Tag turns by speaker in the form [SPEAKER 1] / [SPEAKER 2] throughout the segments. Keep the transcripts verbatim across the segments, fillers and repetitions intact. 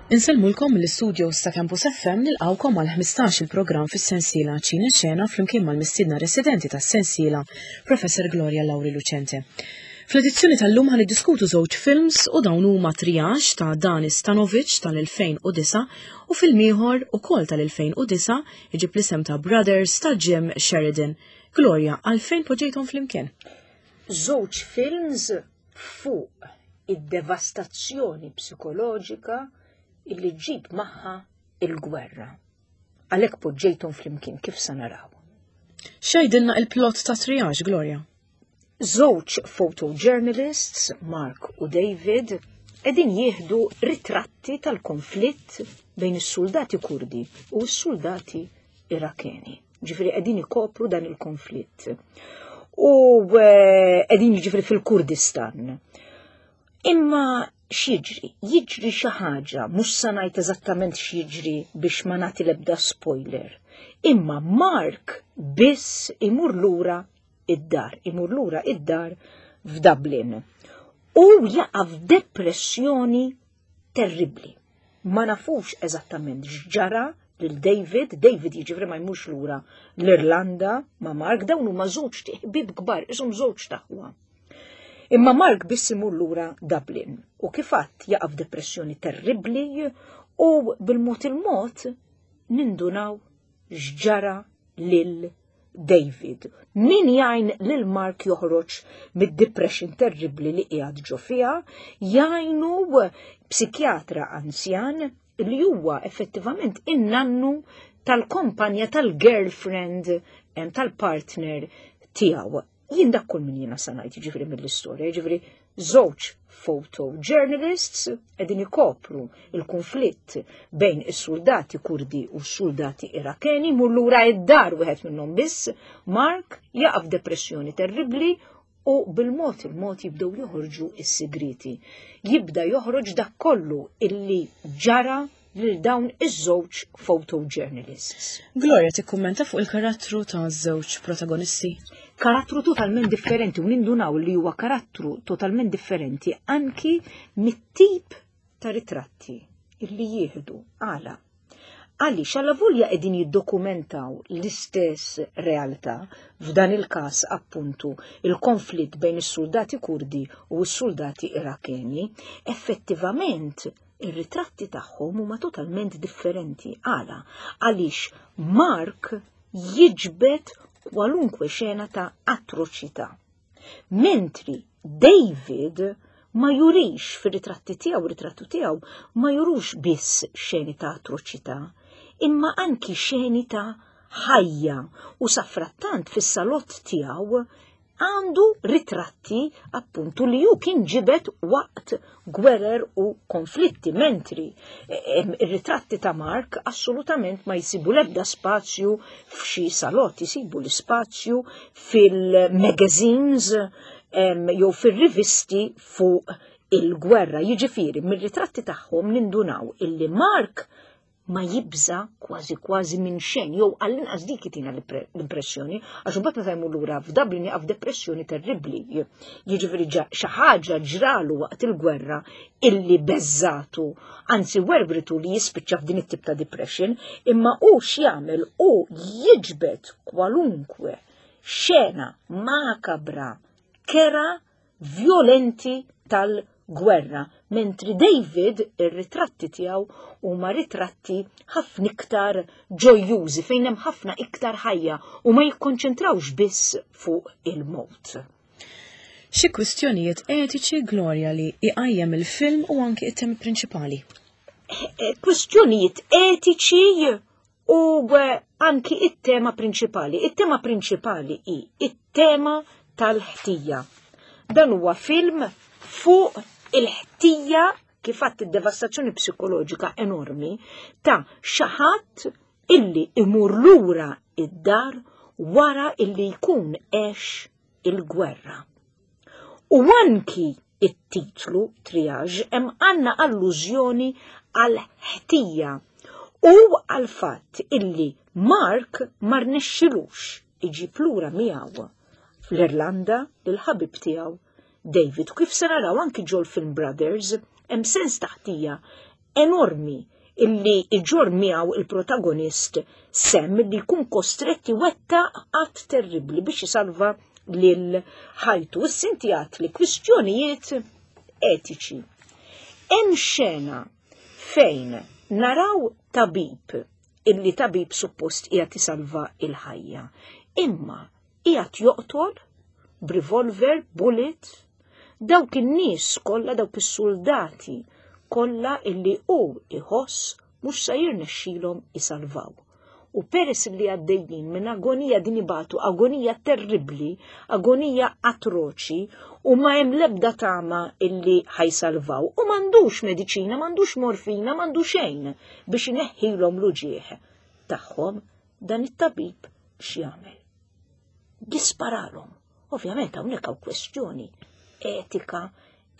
[SPEAKER 1] Insellmulkom mill-istudios ta' Campus F M. Nilqgħukom għal ħmistax il-programm fis-sensiela Ċina Xena flimkien mal-mistiedna residenti tas-sensiela, Professor Gloria Lauri Lucente. Fl-edizzjoni tal-lum ħa niddiskutu żewġ films u dawn huma Triage ta' Danis Tanovic tal-elfejn u disgħa u film ieħor ukoll tal-elfejn u disgħa iġib l-isem ta' Brothers ta' Jim Sheridan. Gloria, għalfejn poġġejthom flimkien?
[SPEAKER 2] Żewġ films fuq id-devastazzjoni psikoloġika illi ġib magħha il-gwerra. Għalhekk poġġejthom flimkien, kif sa naraw.
[SPEAKER 1] X'jgħidilna il-plot ta' Triage, Gloria?
[SPEAKER 2] Żewġ photojournalists, Mark u David, qegħdin jieħdu ritratti tal-konflitt bejn is-soldati Kurdi u s-soldati Irakeni. Ġifieri qegħdin ikopru dan il-konflitt. U eh, qegħdin ġifieri fil-Kurdistan. Imma x'jiġri? Jiġri xi ħaġa, mhux sa ngħid eżattament x'jiġri biex ma nagħti l-ebda spoiler. Imma Mark biss imur lura id-dar, imur lura id-dar f'Dublin. U jaqa' f'depressjoni terribli. Ma nafux eżattament x'ġara lil David. David jiġifieri ma jmurx lura l-Irlanda ma' Mark. Dawn huma żewġ ħbieb kbar, ishom żewġ t'aħwa. Imma Mark biss imur lura Dublin u kif għedt jaqa' f'depressjoni terribli u bil-mod il-mod nindunaw x'ġara lil David. Min jgħin lil Mark joħroġ mid-depression terribli li qiegħed ġo fiha? Jgħinu psikjatra anzjan li huwa effettivament in-nannu tal-kompanja tal-girlfriend, tal-partner tiegħu. Jien dak kull min jiena sa ngħid ġifieri mill-istorja, ġifieri żewġ photojournalists qegħdin ikopru il-konflitt bejn is-soldati Kurdi u s-soldati Irakeni, imur lura id-dar wieħed minnhom biss, Mark, jaqa' f'depressjoni terribli u bil-mod il-mod jibdew joħorġu is-sigriti. Jibda joħroġ dak kollu illi ġara lil dawn iż-żewġ photojournalists.
[SPEAKER 1] Gloria, tikkummenta fuq il-karattru ta' żewġ protagonisti?
[SPEAKER 2] Karattru totalment differenti u nindunaw li huwa karattru totalment differenti anki mit-tip ta' ritratti illi jieħdu. Għala? Għaliex għalavolja qegħdin jiddokumentaw l-istess realtà, f'dan il-każ appuntu il-konflitt bejn is-soldati Kurdi u s-soldati Irakeni, effettivament ir-ritratti tagħhom huma totalment differenti. Għala? Għaliex Mark jiġbed kwalunkwe xena ta' atroċità. Mentri David ma jurix fir-ritratti tiegħu, ritrattu tiegħu ma jurux biss xeni ta' atroċità, imma anki xeni ta' ħajja u safrattant fis-salott tiegħu għandu ritratti appuntu li ju kien ġibet waqt gwerer u konflitti, mentri ir-ritratti ta' Mark assolutament ma jsibu l-ebda spazju f'xi salott, jsibu l-spazju fil-magazines jew fil-rivisti fuq il-gwerra. Jiġifieri, mir-ritratti tagħhom nindunaw illi Mark ma jibża kważi kważi minn xejn, jew għall-inqas dik tina l-impressjoni, għax imbagħad meta jmur lura f'Dublin jaqa' f'depressjoni terribbli. Jiġifieri xi ħaġa ġralu waqt il-gwerra illi beżżgħetu, anzi werwritu li jispiċċa f'din it-tip ta' depression, imma hu x'jagħmel? U jiġbed kwalunkwe xena makabra, kera, violenti tal-gwerra, mentri David ir-ritratti tiegħu huma ritratti ħafna iktar ġojjużi, fejn hemm ħafna iktar ħajja u ma jikkonċentrawx biss fuq il-mod.
[SPEAKER 1] Xi kwistjonijiet etiċi, Gloria, li iqajjem il-film u anki it-temi prinċipali?
[SPEAKER 2] Eh, kwistjonijiet etiċi u eh, anki it-tema prinċipali. It-tema prinċipali hi it-tema tal-ħtija. Dan huwa film fuq il-ħtija, kif għedt, id-devastazzjoni psikoloġika enormi ta' xi ħadd illi imur lura id-dar wara illi jkun għex il-gwerra. U anki it-titlu Triage hemm għandna allużjoni għal ħtija u għal fatt illi Mark ma rnexxilux iġib lura miegħu fl-Irlanda lil ħabib tiegħu David. Kif se naraw anki ġol film Brothers, hemm sens ta' ħtija enormi illi iġorr miegħu il-protagonist Sam li jkun kostretti wettaq att terribli biex jisalva lil ħajtu. Issa inti li kwistjonijiet etiċi. Hemm xena fejn naraw tabib illi tabib suppost qiegħed isalva il-ħajja. Imma qiegħed joqtol b'revolver, bullet, dawk in-nies kollha, dawk is-soldati kollha illi hu iħoss mhux se jirnexxilhom isalvaw. U peress li għaddejjin minn agonija din ibatu, agonija terribli, agonija atroċi, u ma hemm lebda tama illi ħa jsalvaw. U m'għandux mediċina, m'għandux morfina, m'għandux xejn biex ineħħilhom l-uġieħ tagħhom, dan it-tabib x'jagħmel? Jisparalhom. Ovvjament hawnhekk hawn kwestjoni etika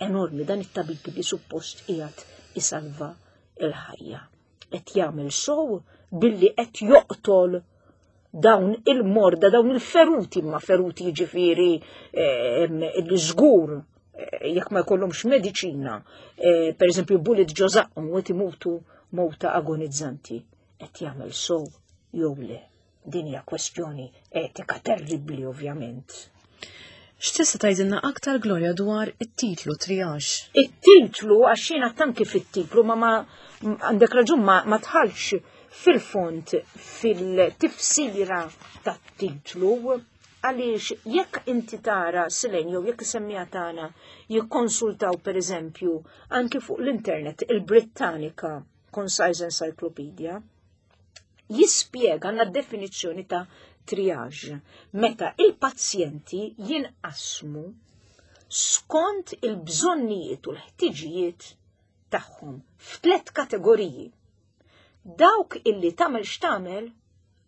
[SPEAKER 2] enormi dan it-tabib li suppost qiegħed isalva il-ħajja. Qed jagħmel sow billi qed joqtol dawn il-morda, dawn il-feruti, ma feruti jiġifieri li żgur eh, jekk ma jkollhomx mediċina, eh, per eżempju bullet ġo żaqqhom u qed imutu mowta agonizzanti. Qed jagħmel sow jew le. Din hija kwestjoni etika terribbli ovvjament.
[SPEAKER 1] X'tista' tgħidilna aktar Gloria dwar it-titlu Triage?
[SPEAKER 2] It-titlu għax jiena tanki fit-titlu ma ma għandek raġun ma, ma tħallx fil-fond fil-tifsira tat-titlu għaliex jekk inti tara Silene jew jekk is-semmiegħa tagħna jikkonsultaw per eżempju anki fuq l-internet il-Britannica Concise Encyclopedia jispjega għandna definizzjoni ta' triage meta il-pazjenti jinqasmu skont il-bżonnijiet u l-ħtiġijiet tagħhom f'tlet kategoriji. Dawk illi tagħmel x'tagħmel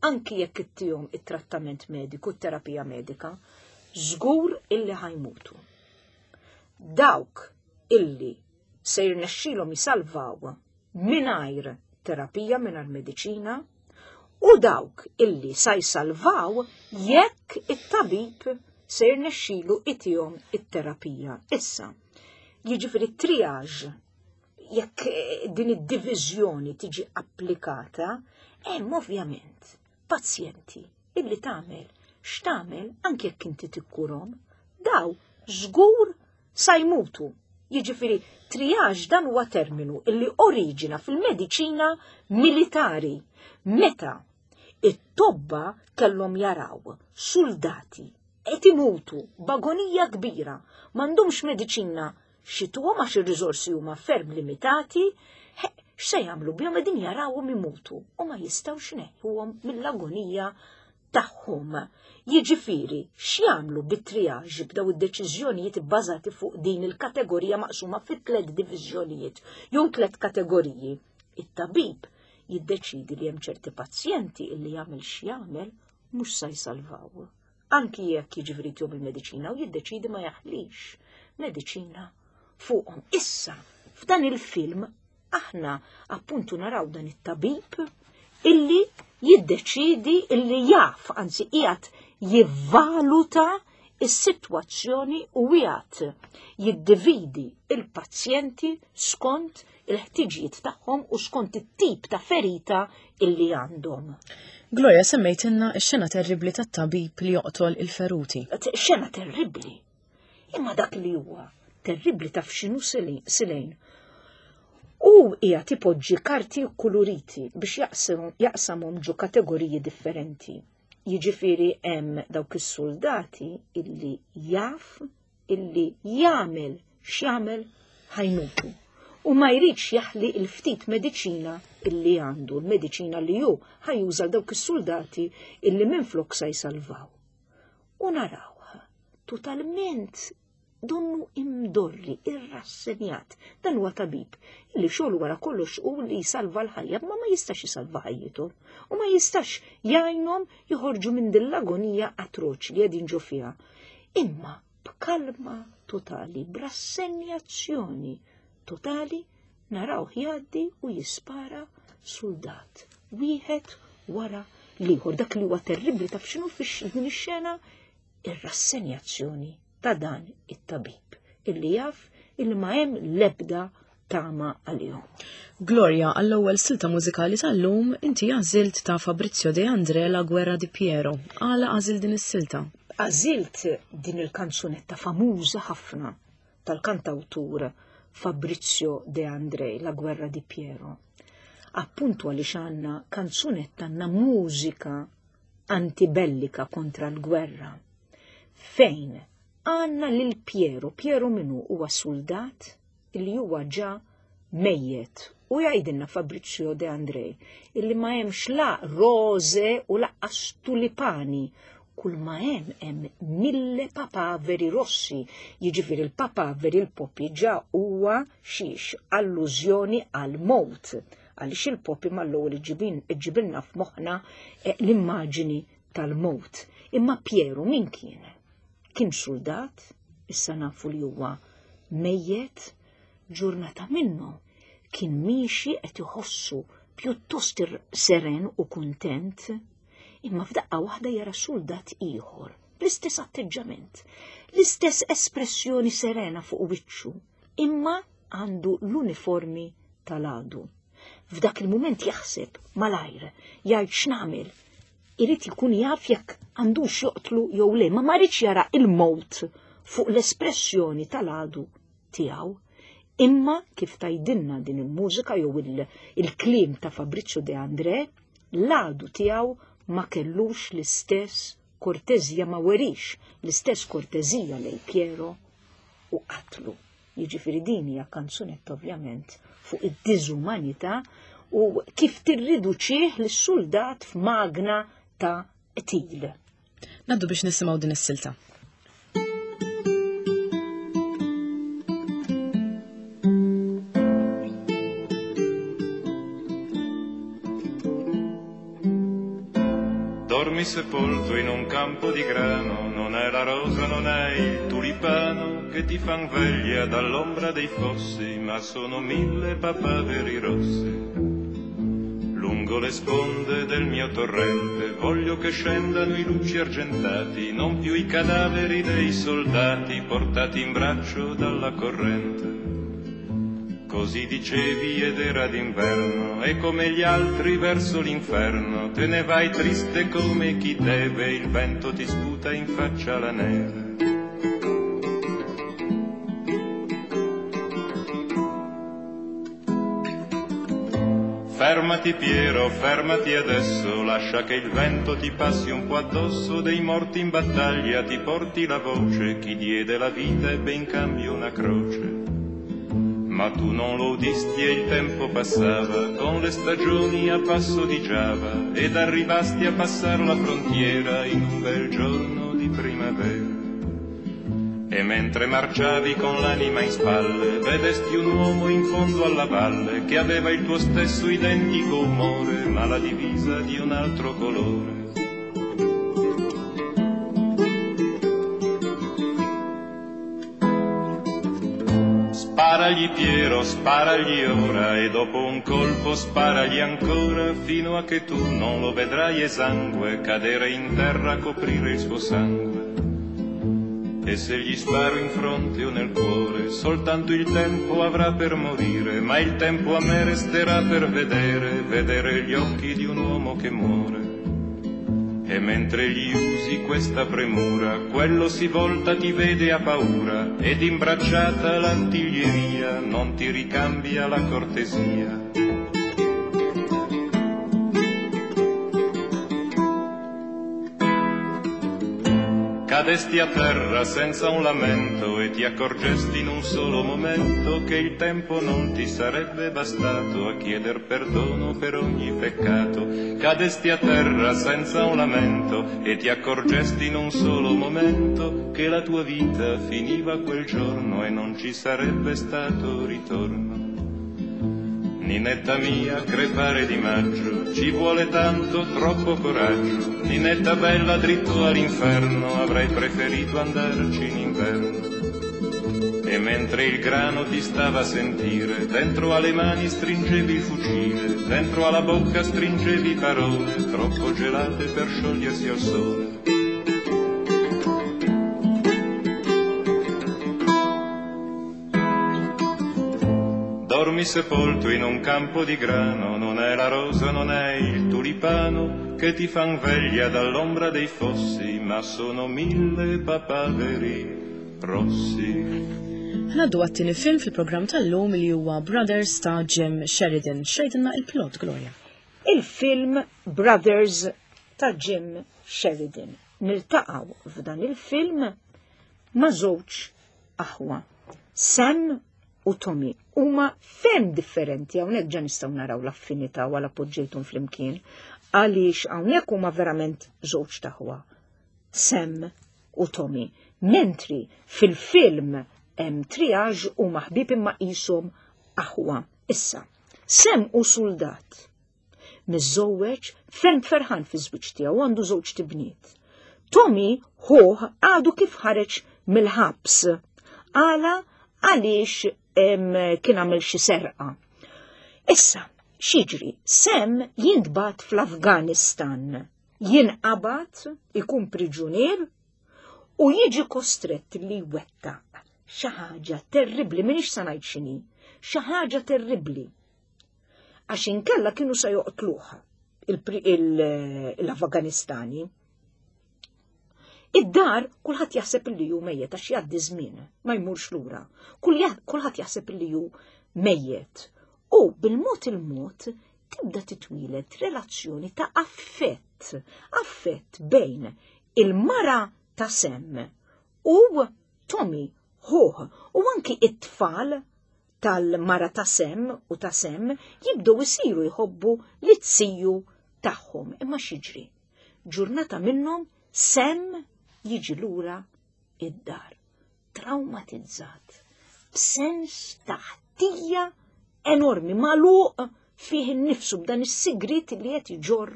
[SPEAKER 2] anki jekk ittihom it-trattament mediku, t-terapija medika, żgur illi ħa jmutu. Dawk illi se jirnexxilhom jisalvaw mingħajr terapija, mingħajr mediċina, u dawk illi sa jsalvaw jekk it-tabib se jirnexxilu itihom it-terapija. Issa, jiġifieri triage jekk din id-diviżjoni tiġi applikata, hemm ovvjament pazjenti illi tagħmel x'tagħmel anke jekk inti tikkurhom, daw żgur sa jmutu. Jiġifieri triage dan huwa terminu illi oriġina fil-mediċina militari meta it-tobba kellhom jaraw soldati qed imutu b'agonija kbira, m'għandhomx mediċina x'jtuhom għax ir-riżorsi huma ferm limitati, x'se jagħmlu bihom qegħdin jarawhom imutu u ma jistgħux ineħħuhom mill-agonija tagħhom. Jiġifieri, x'jagħmlu bit-triage b'daw id-deċiżjonijiet bbażati fuq din il-kategorija maqsuma fi tliet diviżjonijiet jew tliet kategoriji. It-tabib jiddeċidi li hemm ċerti pazjenti illi jagħmel x'jagħmel mhux se jsalvaw. Anki jekk jiġifieri tihom il-mediċina u jiddeċidi ma jaħlix mediċina fuqhom. Issa, f'dan il-film aħna appuntu naraw dan it-tabib illi jiddeċidi illi jaf, anzi qiegħed jivvaluta is-sitwazzjoni u qiegħed jiddividi il-pazjenti skont il-ħtiġijiet tagħhom u skont it-tip ta' ferita illi għandhom.
[SPEAKER 1] Gloria semmejtilna x-xena terribli tat-tabib li joqtol il-feruti.
[SPEAKER 2] Xena terribli. Imma dak li huwa terribli taf x'inhu Silene. U qiegħed ipoġġi karti kuluriti biex jaqsamhom ġo kategoriji differenti. Jiġifieri hemm dawk is-soldati illi jaf illi jagħmel x'jagħmel ħa jmutu. U ma jridx jaħli il-ftit mediċina illi għandu, l-mediċina li hu ħa juża dawk is-soldati illi minflok sa jsalvaw. U naraw totalment donnu imdorri, irrassenjat. Dan huwa tabib illi xogħol wara kollox hu li jsalva l-ħajja, ma ma jistax jisalva ħajjithom u ma jistax jgħinhom joħorġu minn din l-agonija atroċi li qegħdin ġo fiha. Imma b'kalma totali, b'rassenjazzjoni totali, narawh jgħaddi u jispara soldat wieħed wara l-ieħor. Dak li huwa terribbli taf x'inhu f'din ix-xena ir-rassenjazzjoni ta' dan it-tabib illi jaf illi ma hemm lebda tama għalihom.
[SPEAKER 1] Gloria, għall-ewwel silta mużikali tal-lum inti għażilt ta' Fabrizio De André La Guerra di Piero. Għala għażilt din is-silta?
[SPEAKER 2] Għażilt din il-kanzunetta famuża ħafna tal-kantawtur Fabrizio De André, La Guerra di Piero. Appuntu għaliex għandna kanzunetta, għandna mużika antibellika kontra l-gwerra. Fejn għandna lil Piero, Piero minu huwa soldat illi huwa ġa mejjet. U jgħidilna Fabrizio De André illi ma hemmx la rose u laqqas tulipani, kull ma hemm hemm mille papaveri rossi, jiġifieri il-papaveri il-popi ġa huwa xiex allużjoni għal mowt, għaliex il-popi mal-ewwel iġibilna f'moħħna l-immaġini tal-mowt. Imma Piero min kien? Kien soldat, issa nafu li huwa mejjet, ġurnata minnu kien miexi qed iħossu pjuttost seren u kuntent, imma f'daqqa waħda jara soldat ieħor bl-istess atteġġament, l-istess espressjoni serena fuq wiċċu, imma għandu l-uniformi tal-għadu. F'dak il-mument jaħseb malajr, jgħid x'nagħmel, irid ikun jaf jekk għandux joqtlu jew le, ma ma rridx jara il-mowt fuq l-espressjoni tal-għadu tiegħu. Imma kif tajdinna din il-mużika jew il-kliem ta' Fabrizio De André, l-għadu tiegħu ma kellux l-istess kortezija, ma werix l-istess kortezija lej Piero u qatlu. Jiġifieri din hija kanzunetta ovvjament fuq id-diżumanità u kif tirriduċih lis-soldat f'magna ta' qtil.
[SPEAKER 1] Naddu biex nisimgħu din is-silta.
[SPEAKER 3] Dormi sepolto in un campo di grano, non è la rosa, non è il tulipano che ti fan veglia dall'ombra dei fossi, ma sono mille papaveri rossi. Lungo le sponde del mio torrente voglio che scendano i lucci argentati, non più i cadaveri dei soldati portati in braccio dalla corrente. Così dicevi ed era d'inverno, e come gli altri verso l'inferno te ne vai triste come chi deve, il vento ti sputa in faccia la neve. Fermati Piero, fermati adesso, lascia che il vento ti passi un po' addosso, dei morti in battaglia ti porti la voce, chi diede la vita ebbe in cambio una croce. Ma tu non lo udisti e il tempo passava, con le stagioni a passo di Giava, ed arrivasti a passar la frontiera in un bel giorno di primavera. E mentre marciavi con l'anima in spalle, vedesti un uomo in fondo alla valle, che aveva il tuo stesso identico umore, ma la divisa di un altro colore. Sparagli Piero, sparagli ora, e dopo un colpo sparagli ancora, fino a che tu non lo vedrai esangue cadere in terra a coprire il suo sangue. E se gli sparo in fronte o nel cuore, soltanto il tempo avrà per morire, ma il tempo a me resterà per vedere, vedere gli occhi di un uomo che muore. E mentre gli usi questa premura, quello si volta, ti vede a paura, ed imbracciata l'artiglieria non ti ricambia la cortesia. Cadesti a terra senza un lamento e ti accorgesti in un solo momento che il tempo non ti sarebbe bastato a chieder perdono per ogni peccato. Cadesti a terra senza un lamento e ti accorgesti in un solo momento che la tua vita finiva quel giorno e non ci sarebbe stato ritorno. Ninetta mia, crepare di maggio, ci vuole tanto, troppo coraggio. Ninetta bella, dritto all'inferno, avrei preferito andarci in inverno. E mentre il grano ti stava a sentire, dentro alle mani stringevi il fucile, dentro alla bocca stringevi parole, troppo gelate per sciogliersi al sole. Trovarmi sepolto in un campo di grano, non è la rosa, non è il tulipano che ti fan veglia dall'ombra dei fossi, ma sono mille papaveri rossi.
[SPEAKER 1] Ngħaddu għat-tieni film fil-programm tal-lum li huwa Brothers ta' Jim Sheridan. X'tgħidilna il-plot, Gloria?
[SPEAKER 2] Il-film Brothers ta' Jim Sheridan. Niltaqgħu f'dan il-film ma' żewġ aħwa. Sam u Tommy huma ferm differenti, hawnhekk ġa nistgħu naraw l-affinità u għala poġġejthom flimkien, għaliex hawnhekk huma verament żewġ aħwa. Sam u Tommy. Mentri fil-film hemm triage u ħbieb imma qishom aħwa. Issa, Sam hu soldat. Miżżewweġ, ferm ferħan fi żwieġ tiegħu, għandu żewġ tibniet. Tommy ħuh għadu kif ħareġ mill-ħabs. Għala għaliex kien għamel xi serqa. Issa, x'jiġri, Sam jintbagħat fl-Afganistan. Jinqabad, ikun priġunier u jiġi kostrett li jwettaq xi ħaġa terribbli, m'iniex sa ngħid x'inhi, xi ħaġa terribbli. Għax inkella kienu sa joqtluh l-Afganistani. Id-dar kulħadd jaħseb li hu mejjet għax jgħaddi żmien, ma jmurx lura. Kulħadd jaħseb li hu mejjet. U bil-mod il-mod tibda titwieled relazzjoni ta' affett, affett bejn il-mara ta' Sam u Tommy ħuh, u anki it-tfal tal-mara ta' Sam u ta' Sam jibdew isiru jħobbu liz-ziju tagħhom. Imma x'jiġri? Ġurnata minnhom Sam jiġi lura id-dar, traumatizzat, b'sens ta' ħtija enormi, magħluq fih innifsu b'dan is-sigrit li qed iġorr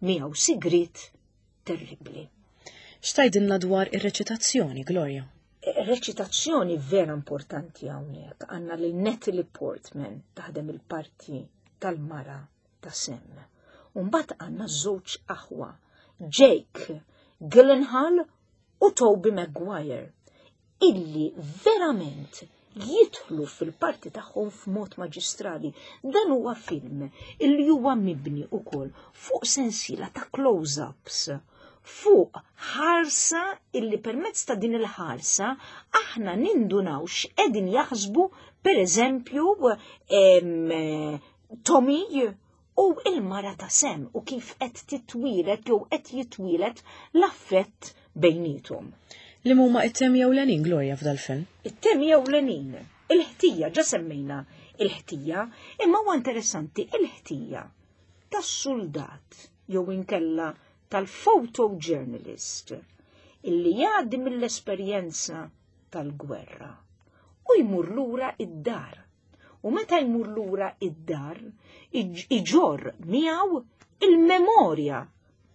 [SPEAKER 2] miegħu, sigrit terribbli.
[SPEAKER 1] X'tgħidilna dwar ir-reċitazzjoni, Gloria?
[SPEAKER 2] Reċitazzjoni vera importanti hawnhekk. Għandna lil Natalie Portman taħdem il-parti tal-mara ta' Sam. Mbagħad għandna żewġ aħwa, Jake Gyllenhaal u Tobey Maguire, illi verament jidħlu fil-parti tagħhom f'mod maġistrali. Dan huwa film illi huwa mibni ukoll fuq sensiela ta' close-ups, fuq ħarsa illi permezz ta' din il-ħarsa aħna nindunaw x'qegħdin jaħsbu, per eżempju, Tommy u il-mara ta' Sam, u kif qed titwieled jew qed jitwieled l-affett bejniethom.
[SPEAKER 1] Li huma it-temi ewlenin, Gloria, f'dal-film?
[SPEAKER 2] It-temi ewlenin, il-ħtija, ġa semmejna il-ħtija, imma huwa interessanti il-ħtija tas-soldat jew inkella tal-photojournalist illi jgħaddi mill-esperjenza tal-gwerra u jmur lura id-dar. U meta jmur lura id-dar, iġorr miegħu il-memorja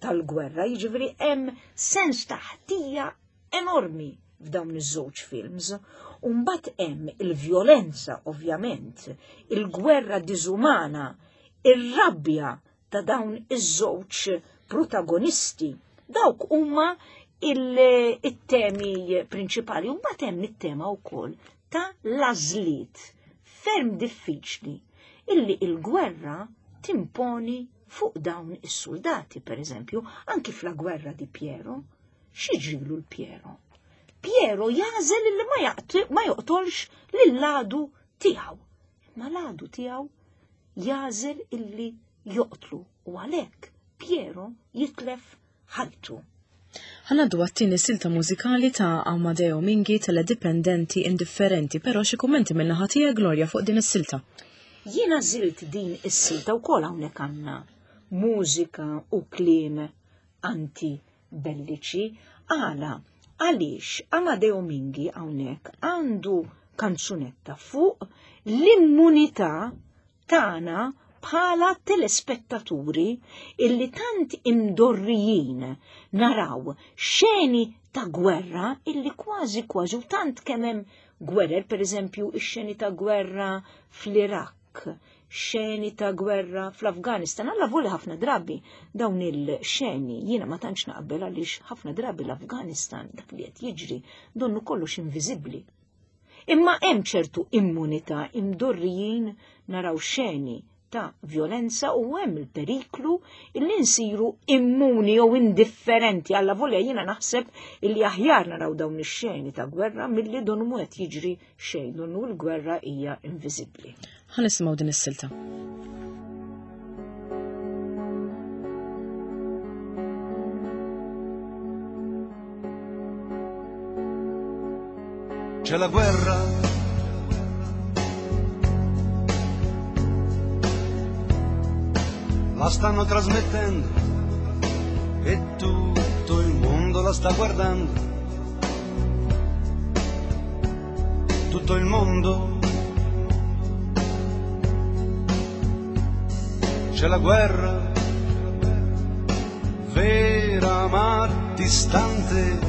[SPEAKER 2] tal-gwerra, jiġifieri hemm sens ta' ħtija enormi f'dawn iż-żewġ films. U mbagħad hemm il-vjolenza, ovvjament, il-gwerra diżumana, ir-rabbja ta' dawn iż-żewġ protagonisti. Dawk huma il-temi prinċipali. U mbagħad hemm it-tema wkoll ta' l-għażliet ferm diffiċli illi il-gwerra timponi fuq dawn is-soldati, per eżempju, anki fl-gwerra di Piero. X'jiġrilu lil Piero? Piero jagħżel illi ma joqtolx lill-għadu tiegħu. Imma l-għadu tiegħu jagħżel illi joqtlu, u għalhekk Piero jitlef ħajtu.
[SPEAKER 1] Ħa ngħaddu għat-tieni silta mużikali ta' Amadeo Minghi, Teledipendenti Indifferenti, però xi kummenti minn naħa tiegħek, Gloria, fuq din is-silta.
[SPEAKER 2] Jiena għażilt din is-silta wkoll, hawnhekk għandna mużika u kliem anti-belliċi. Għala, għaliex Amadeo Minghi hawnhekk għandu kanzunetta fuq l-immunità tagħna bħala telespettaturi illi tant imdorrijin naraw xeni ta' gwerra illi kważi kważi u tant kemm hemm gwerer, per eżempju, ix-xeni ta' gwerra fl-Iraq, xeni ta' gwerra fl-Afganistan, avolja ħafna drabi dawn il-xeni jiena ma tantx naqbel, għaliex ħafna drabi l-Afganistan dak li qed jiġri donnu kollox inviżibbli. Imma hemm ċertu immunità, imdorrijin naraw xeni ta' violenza u hemm il-periklu illi nsiru immuni jew indifferenti. Alla volja jiena naħseb illi aħjar naraw dawn ix-xeni ta' gwerra milli donnu mhu qed jiġri xejn, donnu l-gwerra hija inviżibbli.
[SPEAKER 1] Ħa nisimgħu din is-silta.
[SPEAKER 3] C'è la guerra, la stanno trasmettendo e tutto il mondo la sta guardando, tutto il mondo. C'è la guerra, vera ma distante,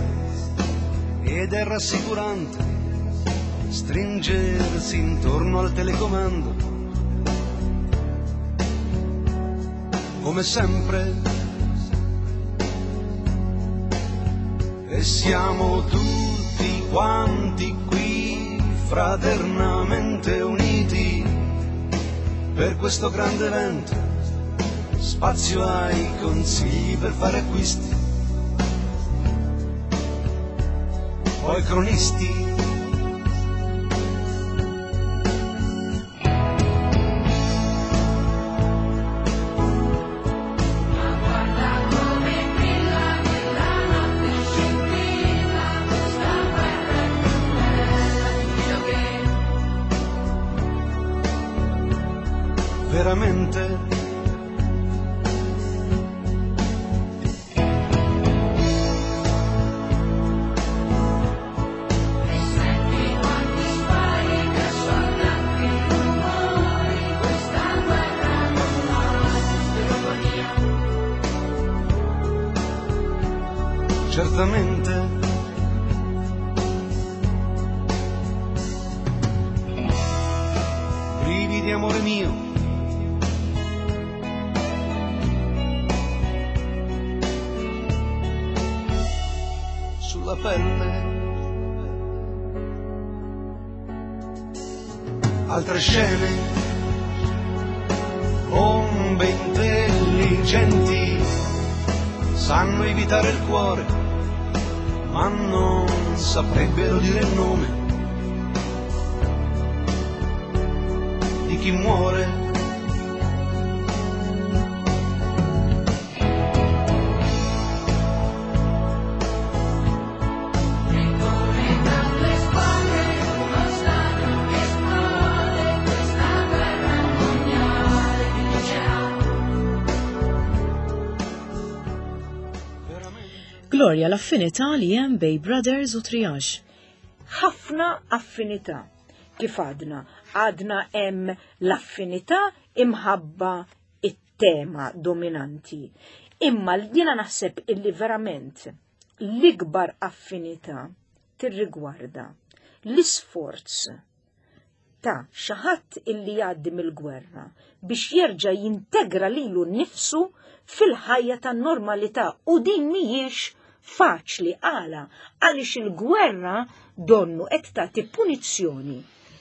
[SPEAKER 3] ed è rassicurante stringersi intorno al telecomando, come sempre. E siamo tutti quanti qui fraternamente uniti per questo grande evento. Spazio ai consigli per fare acquisti, poi cronisti. Veramente
[SPEAKER 4] E senti quanti spari che sono tanti rumori, questa guerra non ha ironia.
[SPEAKER 3] Certamente brividi amore mio, sulla pelle. Altre scene, bombe intelligenti sanno evitare il cuore, ma non saprebbero dire il nome di chi muore.
[SPEAKER 1] Gloria, l-affinità li hemm bejn Brothers u Triage.
[SPEAKER 2] Ħafna affinità. Kif għadna? Għadna hemm l-affinità imħabba it-tema dominanti. Imma jiena naħseb illi verament l-ikbar affinità tirrigwarda l-isforz ta' xi ħadd illi jgħaddi mill-gwerra biex jerġa' jintegra lilu nnifsu fil-ħajja tan-normalità, u din mhijiex faċli. Għala għaliex il-gwerra donnu qed tagħti punizzjoni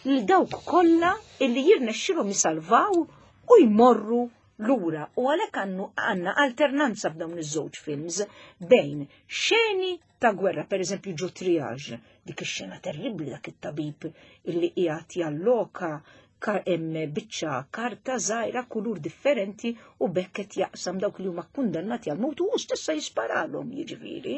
[SPEAKER 2] lil dawk kollha illi jirnexxilhom jisalvaw u jmorru lura. U għalhekk għandu għandna alternanza f'dawn iż-żewġ films bejn xeni ta' gwerra, per eżempju ġo Triage, dik ix-xena terribbli, dak it-tabib illi qiegħed jalloka hemm biċċa karta żgħira kulur differenti u bekk qed jaqsam dawk li huma kkundannati għal mewt u hu stessa jisparalhom, jiġifieri.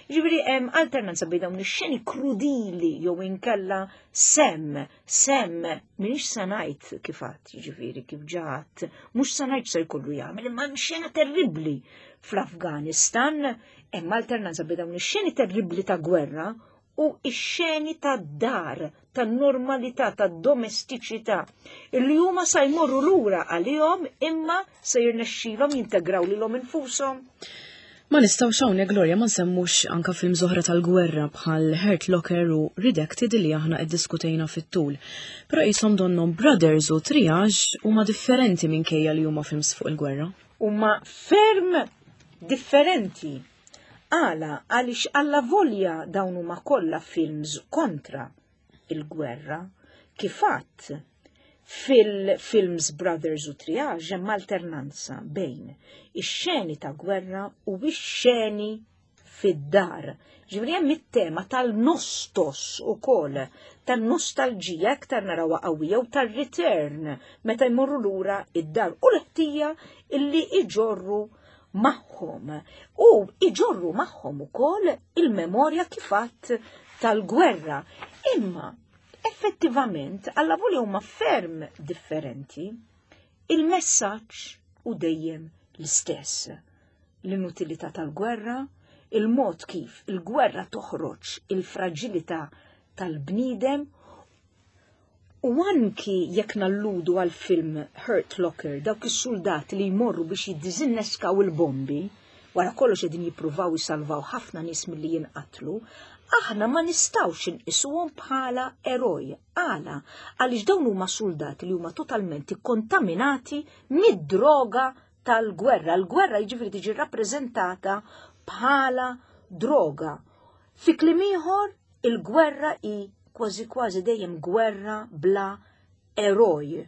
[SPEAKER 2] Jiġifieri hemm alternanza bejn dawn ix-xeni krudili jew inkella sem, sem m'iniex se ngħid kif għadd, jiġifieri kif ġat, mhux se ngħid se jkollu jagħmel, imma hemm xena terribbli fl-Afganistan, hemm alternanza bejn dawn ix-xeni terribbli ta' gwerra u ix-xeni tad-dar, tan-normalità, tad-domestiċità, illi huma sa jmorru lura għalihom imma se jirnexxilhom jintegraw lilhom infushom.
[SPEAKER 1] Ma nistgħux hawnhekk, Gloria, ma nsemmux anka films oħra tal-gwerra bħal Hurt Locker u Redacted li aħna iddiskutejna fit-tul. Però qishom donhom Brothers u Triage huma differenti minkejja li huma films fuq il-gwerra.
[SPEAKER 2] Huma ferm differenti. Għala, għaliex alla volja dawn huma kollha films kontra il-gwerra. Kif għedt fil-films Brothers u Triage hemm alternanza bejn ix-xeni ta' gwerra u ix-xeni fid-dar. Ġifieri hemm it-tema tal-nostos ukoll, tan-nostalġija aktar narawha qawwija u tar-return meta jmorru lura id-dar u l-ħtija illi iġorru magħhom. U iġorru magħhom ukoll il-memorja kif għedt tal-gwerra. Imma effettivament, allavolja huma ferm differenti, il-messaġġ hu dejjem l-istess. L-inutilità tal-gwerra, il-mod kif il-gwerra toħroġ il-fragilità tal-bniedem u anki jekk nalludu għal film Hurt Locker, dawk is-soldati li jmorru biex jiddiżinneskaw il-bombi, wara kollox qegħdin jippruvaw jisalvaw ħafna nies milli jinqatlu, aħna ma nistgħux inqisuhom bħala eroj. Għala, għaliex dawn huma soldati li huma totalment ikkontaminati mid-droga tal-gwerra. L-gwerra jiġifieri tiġi rappreżentata bħala droga. Fi kliem ieħor, il-gwerra hi kważi kważi dejjem gwerra bla eroj.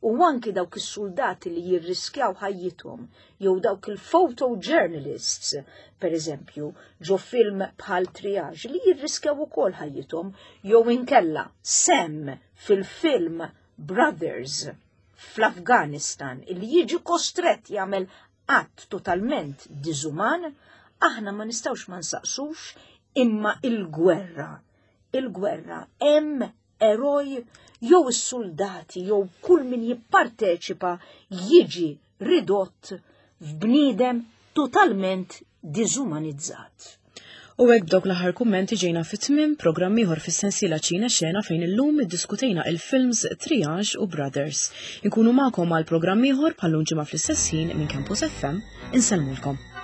[SPEAKER 2] U anki dawk is-soldati li jirriskjaw ħajjithom, jew dawk il-photojournalists, per eżempju, ġo film bħal Triage, li jirriskjaw ukoll ħajjithom, jew inkella Sam fil-film Brothers fl-Afganistan, li jiġi kostret jagħmel att totalment diżuman, aħna ma nistgħux ma nsaqsux imma il-gwerra. Il-gwerra hemm eroj jew is-soldati jew kull min jipparteċipa jiġi ridott f'bniedem totalment diżumanizzat.
[SPEAKER 1] U hekk b'dawk l-aħħar kummenti ġejna fit-tmiem programm ieħor fis-sensiela Ċine Xena fejn illum iddiskutejna il-films Triage u Brothers. Inkunu magħkom għal programm ieħor bħal ġimgħa fl-istess ħin minn Campus F M. Insellmulkom.